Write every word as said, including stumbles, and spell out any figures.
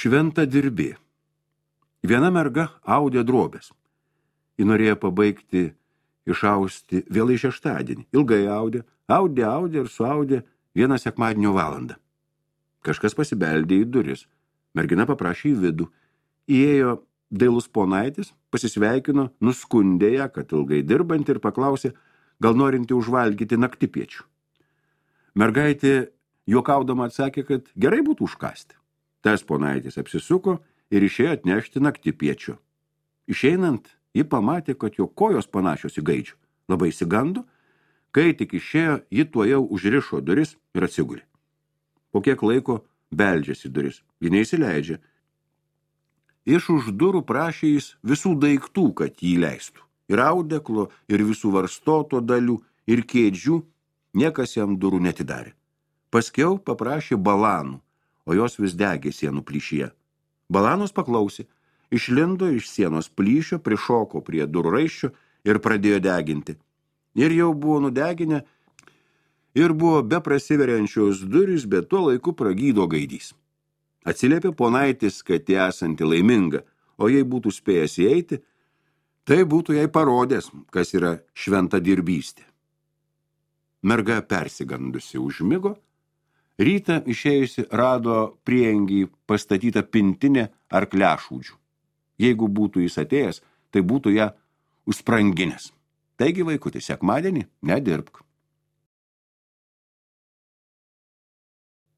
Šventa dirbė. Viena merga audė drobės. Ji norėjo pabaigti išausti vėlai šeštadienį. Ilgai audė, audė, audė ir suaudė vieną sekmadienio valandą. Kažkas pasibeldė į duris. Mergina paprašė į vidų. Įėjo dailus ponaitis, pasisveikino, nuskundė ją, kad ilgai dirbant ir paklausė, gal norinti užvalgyti naktipiečių. Mergaitė juokaudama atsakė, kad gerai būtų užkasti. Tas ponaitis apsisuko ir išėjo atnešti naktipiečio. Išeinant, ji pamatė, kad jo kojos panašios į gaidžių. Labai įsigando, kai tik išėjo, ji tuojau užrišo duris ir atsigulė. Po kiek laiko beldžiasi duris, ji neįsileidžia. Iš už durų prašė jis visų daiktų, kad jį leistų. Ir audeklo, ir visų varstoto dalių, ir kėdžių, niekas jam durų netidarė. Paskiau paprašė balanų, o jos vis degė sienų plyšyje. Balanos paklausė, išlindo iš sienos plyšio, prišoko prie durų raiščio ir pradėjo deginti. Ir jau buvo nudeginę, ir buvo be prasiveriančios durys, bet tuo laiku pragydo gaidys. Atsiliepė ponaitis, kad jie esanti laiminga, o jei būtų spėjęs įeiti, tai būtų jai parodęs, kas yra šventa dirbystė. Merga persigandusi užmigo, rytą išėjusi rado priengį pastatytą pintinę ar klešūdžių. Jeigu būtų jis atėjęs, tai būtų ją užspranginęs. Taigi, vaikuti, sekmadienį nedirbk.